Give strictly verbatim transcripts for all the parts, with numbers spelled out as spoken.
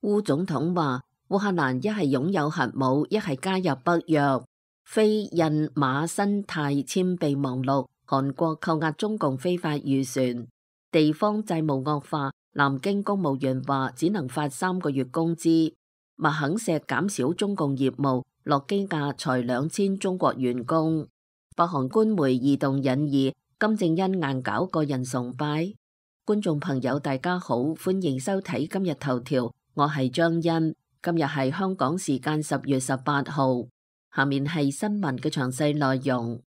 烏總統話，烏克蘭一係擁有核武，一係加入北約。非印馬新泰簽備忘錄，韓國扣押中共非法漁船。地方債務惡化，南京公務員話只能發三個月工資。麥肯錫減少中共業務，諾基亞裁兩千中國員工。北韓官媒異動引議，金正恩硬搞個人崇拜。觀眾朋友大家好，歡迎收睇今日頭條，我係張欣。今日係香港時間十月十八號，下面係新聞嘅詳細內容。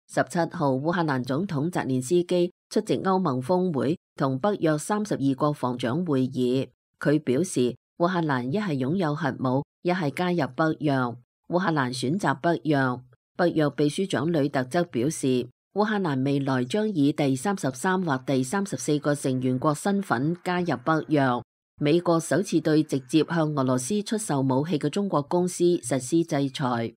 十七號，烏克蘭總統澤連斯基出席歐盟峰會同北約三十二國防長會議。佢表示，烏克蘭一係擁有核武，一係加入北約。烏克蘭選擇北約。北約秘書長呂特則表示，烏克蘭未來將以第三十三或第三十四個成員國身份加入北約。美國首次對直接向俄羅斯出售武器嘅中國公司實施制裁。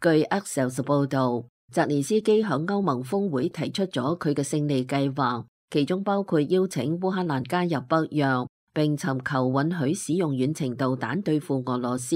據 Axios 報導，澤連斯基響歐盟峰會提出咗佢嘅勝利計劃，其中包括邀請烏克蘭加入北約，並尋求允許使用遠程導彈對付俄羅斯。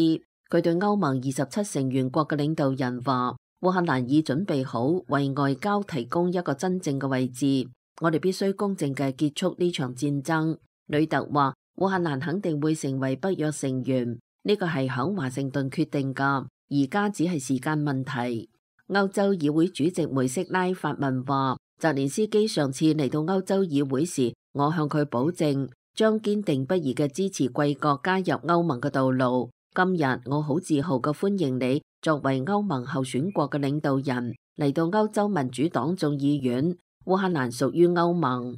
佢對歐盟二十七成員國嘅領導人話，烏克蘭已準備好為外交提供一個真正嘅位置，我哋必須公正嘅結束呢場戰爭。呂特話，烏克蘭肯定會成為北約成員，呢個係響華盛頓決定噶，而家只係時間問題。歐洲議會主席梅色拉發文話，澤連斯基上次嚟到歐洲議會時，我向佢保證將堅定不移嘅支持貴國加入歐盟嘅道路。今日我好自豪嘅歡迎你作為歐盟候選國嘅領導人嚟到歐洲民主黨眾議院。烏克蘭屬於歐盟。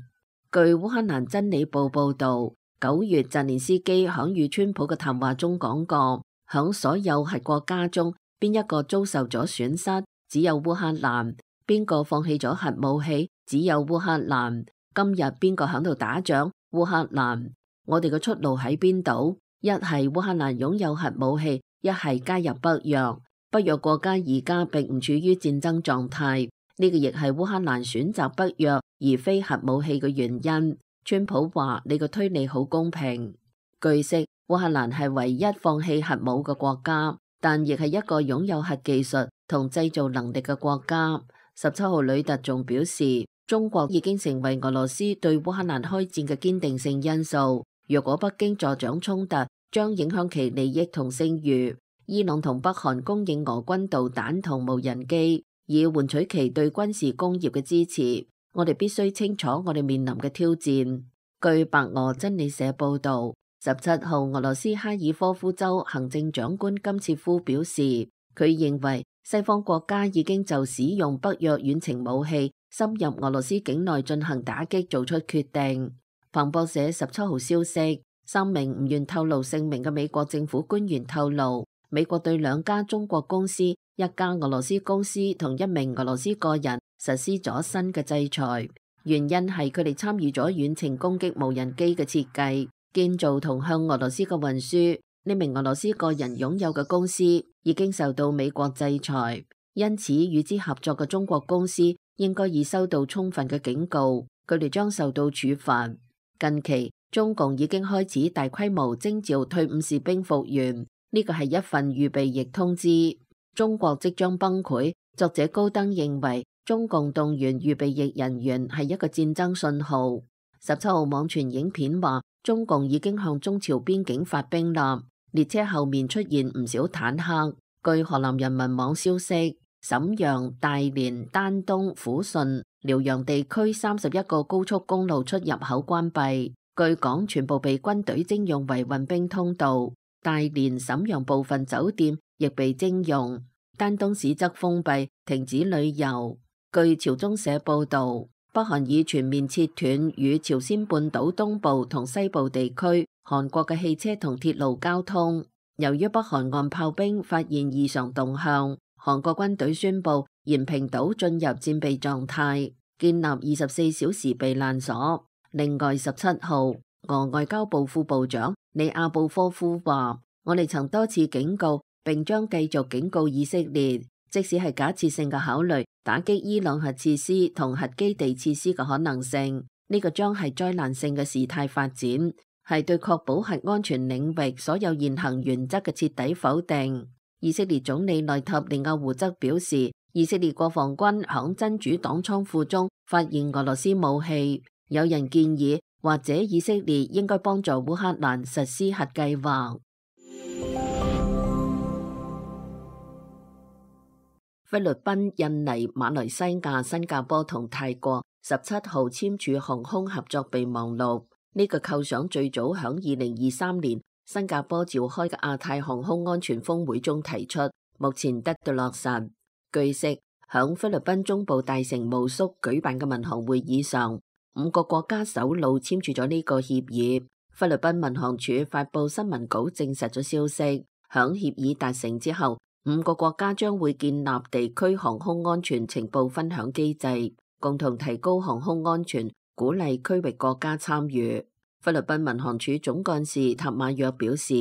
據烏克蘭真理報報道，九月澤連斯基響與川普嘅談話中講過，響所有核國家中，邊一個遭受咗損失？只有烏克蘭。邊個放棄咗核武器？只有烏克蘭。今日邊個響度打仗？烏克蘭。我哋嘅出路喺邊度？一係烏克蘭擁有核武器，一係加入北約。北約國家而家並唔處於戰爭狀態，呢個亦係烏克蘭選擇北約而非核武器嘅原因。川普話：你個推理好公平。據悉，烏克蘭係唯一放棄核武嘅國家，但亦係一個擁有核技術同製造能力嘅國家。十七號，呂特仲表示，中國已經成為俄羅斯對烏克蘭開戰嘅堅定性因素。若果北京助長衝突，將影響其利益同聲譽。伊朗同北韓供應俄軍導彈同無人機，以換取其對軍事工業嘅支持。我哋必須清楚我哋面臨嘅挑戰。據白俄真理社報道，十七號，俄羅斯哈爾科夫州行政長官金切夫表示，佢認為西方國家已經就使用北約遠程武器深入俄羅斯境內進行打擊做出決定。彭博社十七號消息，三名唔願透露姓名嘅美國政府官員透露，美國對兩家中國公司、一家俄羅斯公司同一名俄羅斯個人實施咗新嘅制裁，原因係佢哋參與咗遠程攻擊無人機嘅設計、建造同向俄羅斯嘅運輸。呢名俄羅斯個人擁有嘅公司已經受到美國制裁，因此與之合作嘅中國公司應該已收到充分嘅警告，佢哋將受到處罰。近期中共已經開始大規模徵召退伍士兵復員，呢個係一份預備役通知。中國即將崩潰，作者高登認為中共動員預備役人員係一個戰爭信號。十七號網傳影片話，中共已經向中朝邊境發兵啦，列車後面出現唔少坦克。據河南人民網消息，瀋陽、大連、丹東、撫順、遼陽地區三十一個高速公路出入口關閉，據講全部被軍隊徵用為運兵通道。大連、瀋陽部分酒店亦被徵用，丹東市則封閉，停止旅遊。據朝中社報道，北韓已全面切斷與朝鮮半島東部同西部地區韓國嘅汽車同鐵路交通。由於北韓岸炮兵發現異常動向，韓國軍隊宣布延平島進入戰備狀態，建立二十四小時避難所。另外，十七號，俄外交部副部長里亞布科夫話：我哋曾多次警告，並將繼續警告以色列，即使係假設性嘅考慮打擊伊朗核設施同核基地設施嘅可能性，呢個將係災難性嘅事態發展，係對確保核安全領域所有現行原則嘅徹底否定。以色列總理內塔尼亞胡則表示，以色列國防軍響真主黨倉庫中發現俄羅斯武器。有人建議，或者以色列應該幫助烏克蘭實施核計劃。菲律賓、印尼、馬來西亞、新加坡同泰國十七號簽署航空合作備忘錄。呢個構想最早響二零二三年新加坡召開嘅亞太航空安全峰會中提出，目前得到落實。據悉，響菲律賓中部大城巫宿舉辦嘅民航會議上，五個國家首腦簽署咗呢個協議。菲律賓民航處發佈新聞稿證實咗消息，響協議達成之後，五個國家將會建立地區航空安全情報分享機制，共同提高航空安全，鼓勵區域國家參與。菲律賓民航處總幹事塔馬約表示，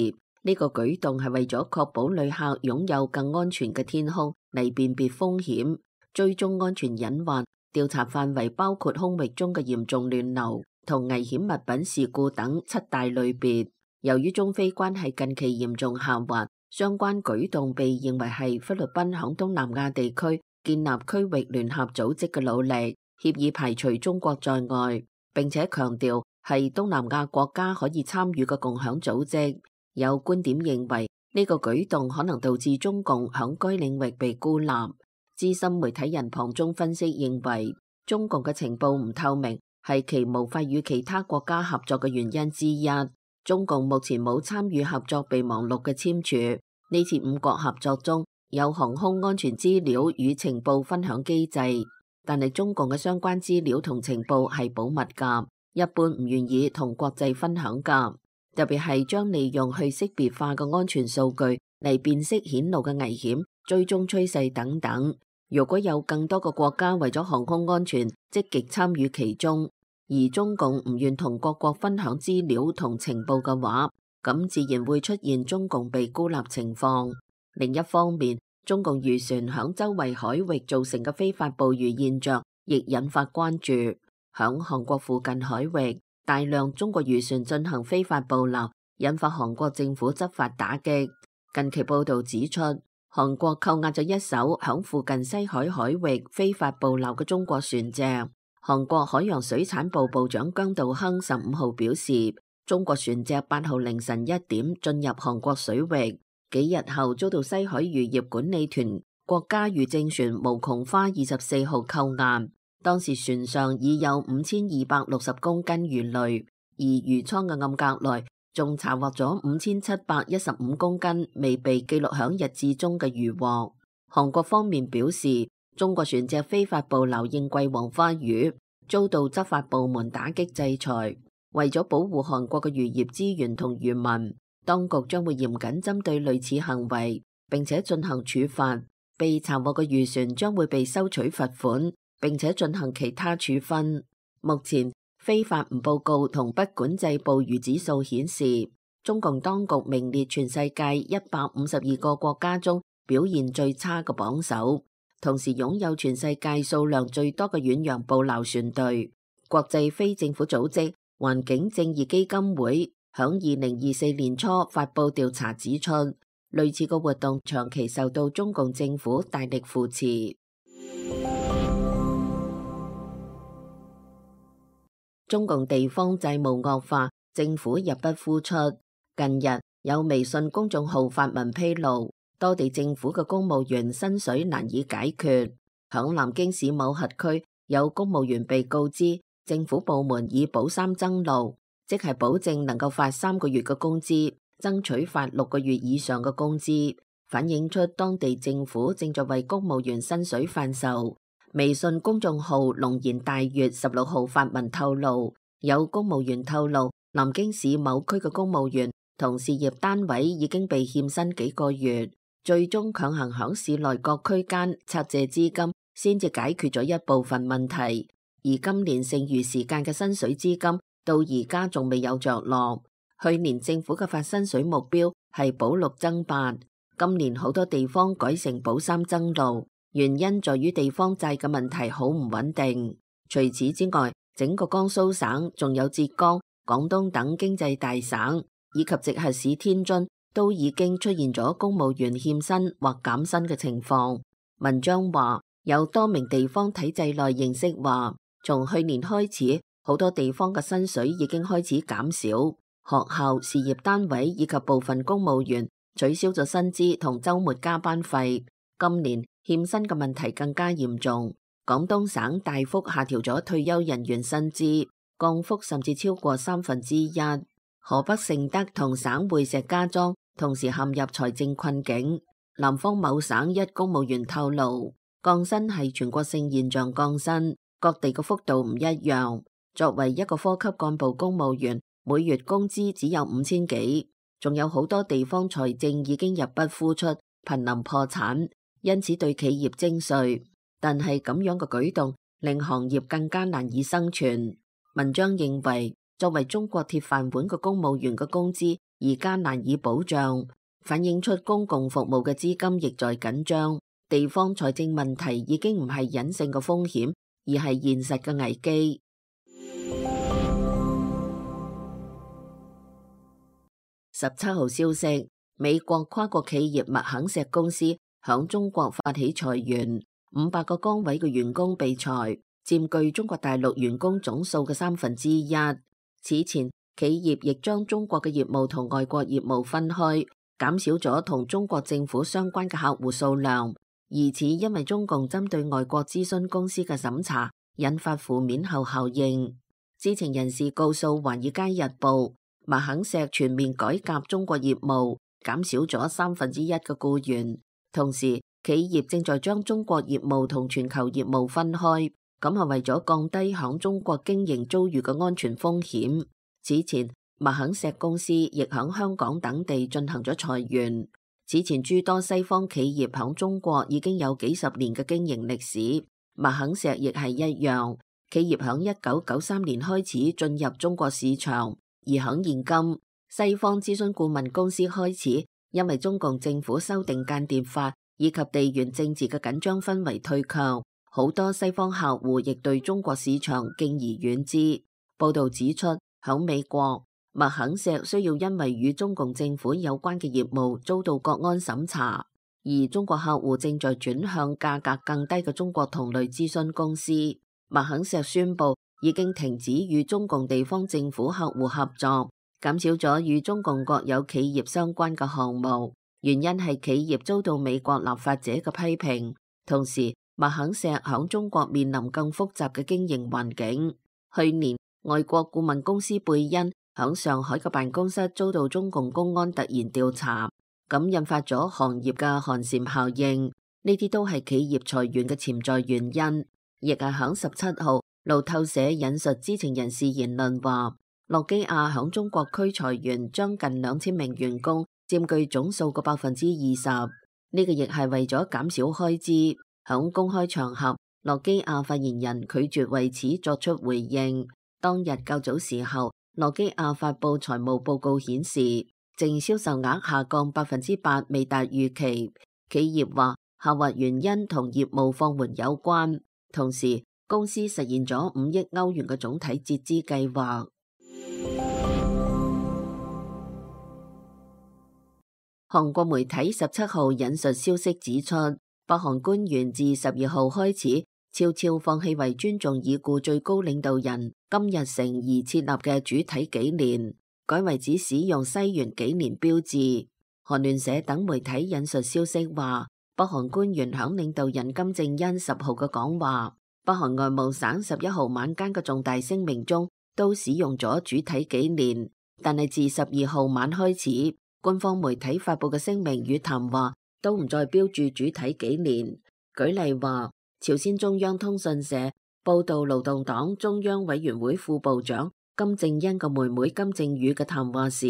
呢個舉動係為咗確保旅客擁有更安全嘅天空嚟辨別風險、追蹤安全隱患。調查範圍包括空域中嘅嚴重亂流同危險物品事故等七大類別。由於中菲關係近期嚴重下滑，相關舉動被認為係菲律賓響東南亞地區建立區域聯合組織嘅努力。協議排除中國在外，並且強調係東南亞國家可以參與嘅共享組織。有觀點認為呢個舉動可能導致中共響該領域被孤立。資深媒體人龐中分析認為，中共嘅情報唔透明係其無法與其他國家合作嘅原因之一。中共目前冇參與合作備忘錄嘅簽署。呢次五國合作中有航空安全資料與情報分享機制，但係中共嘅相關資料同情報係保密㗎，一般唔願意同國際分享㗎。特別係將利用去識別化嘅安全數據嚟辨識顯露嘅危險、追蹤趨勢等等。如果有更多個國家為咗航空安全積極參與其中，而中共唔願同各國分享資料同情報嘅話，咁自然會出現中共被孤立情況。另一方面，中共漁船響周圍海域造成嘅非法捕魚現象亦引發關注。響韓國附近海域，大量中國漁船進行非法捕撈，引發韓國政府執法打擊。近期報道指出，韓國扣押咗一艘響附近西海海域非法捕撈嘅中國船隻。韓國海洋水產部部長姜道亨十五號表示，中國船隻八號凌晨一點進入韓國水域，幾日後遭到西海漁業管理團國家漁政船無窮花二十四號扣押。當時船上已有五千二百六十公斤魚類，而魚艙嘅暗格內仲查獲咗五千七百一十五公斤未被記錄響日誌中嘅漁獲。韓國方面表示，中國船隻非法捕撈應季黃花魚，遭到執法部門打擊制裁。為咗保護韓國嘅漁業資源同漁民，當局將會嚴謹針對類似行為，並且進行處罰。被查獲嘅漁船將會被收取罰款，並且進行其他處分。目前，非法唔報告同不管制捕魚指數顯示，中共當局名列全世界一百五十二個國家中表現最差嘅榜首，同時擁有全世界數量最多嘅遠洋捕撈船隊。國際非政府組織環境正義基金會響二零二四年初發布調查指出，類似嘅活動長期受到中共政府大力扶持。中共地方債務惡化，政府入不敷出。近日有微信公眾號發文披露，多地政府嘅公務員薪水難以解決。響南京市某轄區，有公務員被告知政府部門以保三增六，即係保證能夠發三個月嘅工資，爭取發六個月以上嘅工資，反映出當地政府正在為公務員薪水販售。微信公眾號龍言大悅十六號發文透露，有公務員透露，南京市某區嘅公務員同事業單位已經被欠薪幾個月，最終強行響市內各區間拆借資金，先至解決咗一部分問題。而今年剩餘時間嘅薪水資金到而家仲未有着落。去年政府嘅發薪水目標係保六增八，今年好多地方改成保三增六。原因在於地方債嘅問題好唔穩定。除此之外，整個江蘇省仲有浙江、廣東等經濟大省以及直轄市天津都已經出現咗公務員欠薪或減薪嘅情況。文章話，有多名地方體制內認識話，從去年開始，好多地方嘅薪水已經開始減少，學校、事業單位以及部分公務員取消咗薪資同週末加班費。今年欠薪嘅問題更加嚴重，廣東省大幅下調咗退休人員薪資，降幅甚至超過三分之一。河北承德同省會石家莊同時陷入財政困境。南方某省一公務員透露，降薪係全國性現象降薪，各地嘅幅度唔一樣。作為一個科級幹部公務員，每月工資只有五千幾，仲有好多地方財政已經入不敷出，瀕臨破產，因此對企業徵稅。但係咁樣嘅舉動令行業更加難以生存。文章認為，作為中國鐵飯碗嘅公務員嘅工資而家難以保障，反映出公共服務嘅資金亦在緊張。地方財政問題已經唔係隱性嘅風險，而係現實嘅危機。十七號消息，美國跨國企業麥肯錫公司響中國發起裁員，五百個崗位嘅員工被裁，佔據中國大陸員工總數嘅三分之一。此前，企業亦將中國嘅業務同外國業務分開，減少咗同中國政府相關嘅客戶數量。疑似因為中共針對外國諮詢公司嘅審查，引發負面後效應。知情人士告訴《華爾街日報》，麥肯錫全面改革中國業務，減少咗三分之一嘅僱員。同時，企業正在將中國業務同全球業務分開，咁係為咗降低響中國經營遭遇嘅安全風險。此前，麥肯錫公司亦響香港等地進行咗裁員。此前諸多西方企業響中國已經有幾十年嘅經營歷史，麥肯錫亦係一樣。企業響一九九三年開始進入中國市場，而響現今，西方諮詢顧問公司開始因為中共政府修訂間諜法以及地緣政治嘅緊張氛圍退卻，好多西方客戶亦對中國市場敬而遠之。報道指出，響美國，麥肯錫需要因為與中共政府有關嘅業務遭到國安審查，而中國客戶正在轉向價格更低嘅中國同類諮詢公司。麥肯錫宣布已經停止與中共地方政府客戶合作，減少咗與中共國有企業相關嘅項目，原因係企業遭到美國立法者嘅批評。同時，麥肯錫響中國面臨更複雜嘅經營環境。去年，外國顧問公司貝恩響上海嘅辦公室遭到中共公安突然調查，咁引發咗行業嘅寒蟬效應。呢啲都係企業裁員嘅潛在原因。亦係響十七號，路透社引述知情人士言論話，諾基亞響中國區裁員將近兩千名員工，佔據總數嘅百分之二十。呢個亦係為咗減少開支。響公開場合，諾基亞發言人拒絕為此作出回應。當日較早時候，諾基亞發佈財務報告顯示，淨銷售額下降百分之八，未達預期。企業話下滑原因同業務放緩有關。同時，公司實現咗五億歐元嘅總體節資計劃。韓國媒體十七號引述消息指出，北韓官員自十二號開始悄悄放棄為尊重已故最高領導人金日成而設立嘅主體紀年，改為只使用西元紀年標誌。韓聯社等媒體引述消息話，北韓官員響領導人金正恩十號嘅講話，北韓外務省十一號晚間嘅重大聲明中都使用咗主體紀年，但係自十二號晚開始，官方媒體發佈嘅聲明與談話都唔再標注主體紀年。舉例話，朝鮮中央通訊社報道勞動黨中央委員會副部長金正恩嘅妹妹金正宇嘅談話時，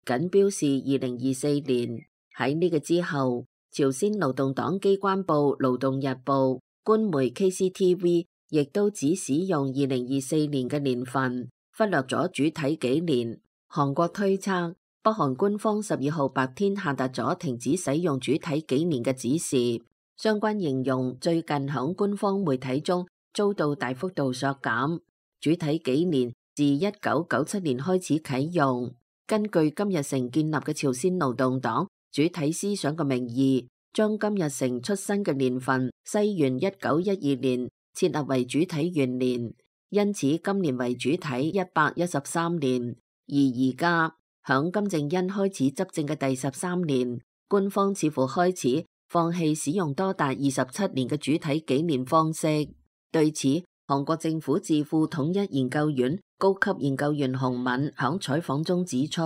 僅標示二零二四年。喺呢個之後，朝鮮勞動黨機關報勞動日報、官媒 K C T V 亦都只使用二零二四年嘅年份，忽略咗主體紀年。韓國推測，北韓官方十二號白天下達咗停止使用主體紀年嘅指示，相關形容最近響官方媒體中遭到大幅度削減。主體紀年自一九九七年開始啟用。根據金日成建立嘅朝鮮勞動黨主體思想嘅名義，將金日成出生嘅年份西元一九一二年設立為主體元年，因此今年為主體一百一十三年。而而家響金正恩開始執政嘅第十三年，官方似乎開始放棄使用多達二十七年嘅主體紀年方式。對此，韓國政府智庫統一研究院高級研究員洪敏響採訪中指出，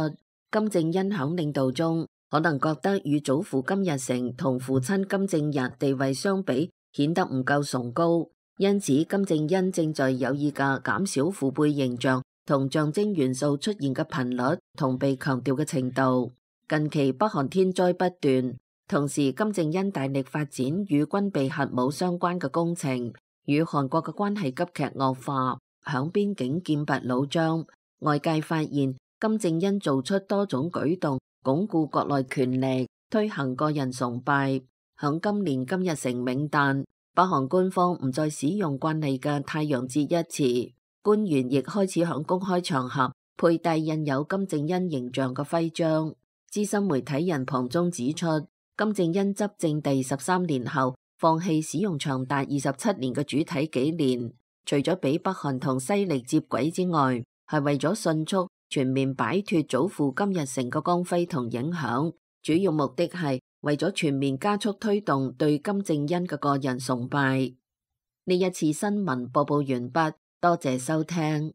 金正恩響領導中可能覺得與祖父金日成同父親金正日地位相比顯得唔夠崇高，因此金正恩正在有意嘅減少父輩形象同象徵元素出現嘅頻率同被強調嘅程度。近期北韓天災不斷，同時金正恩大力發展與軍備核武相關嘅工程，與韓國嘅關係急劇惡化，響邊境劍拔弩張。外界發現金正恩做出多種舉動，鞏固國內權力，推行個人崇拜。響今年金日成冥誕，北韓官方唔再使用慣例嘅太陽節一詞，官員亦開始響公開場合佩戴印有金正恩形象嘅徽章。資深媒體人龐中指出，金正恩執政第十三年後，放棄使用長達二十七年嘅主體紀年，除咗俾北韓同西曆接軌之外，係為咗迅速全面擺脫祖父金日成嘅光輝同影響，主要目的係為咗全面加速推動對金正恩嘅個人崇拜。呢一次新聞播報完畢，多謝收聽。